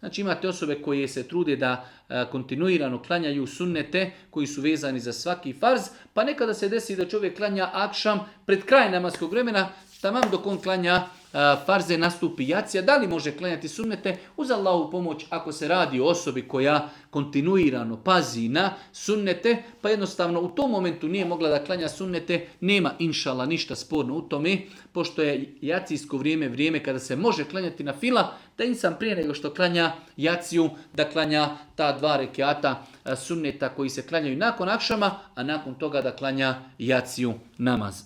Znači imate osobe koje se trude da kontinuirano klanjaju sunnete koji su vezani za svaki farz, pa nekada se desi da čovjek klanja akšam pred kraj namaskog vremena, tamam dok on klanja farze nastupi jacija. Da li može klanjati sunnete? Uz Allahovu pomoć, ako se radi o osobi koja kontinuirano pazi na sunnete, pa jednostavno u tom momentu nije mogla da klanja sunnete, nema inšala ništa sporno u tome, pošto je jacijsko vrijeme kada se može klanjati na fila, da insan prije nego što klanja jaciju, da klanja ta 2 rekiata sunneta koji se klanjaju nakon akšama, a nakon toga da klanja jaciju namaz.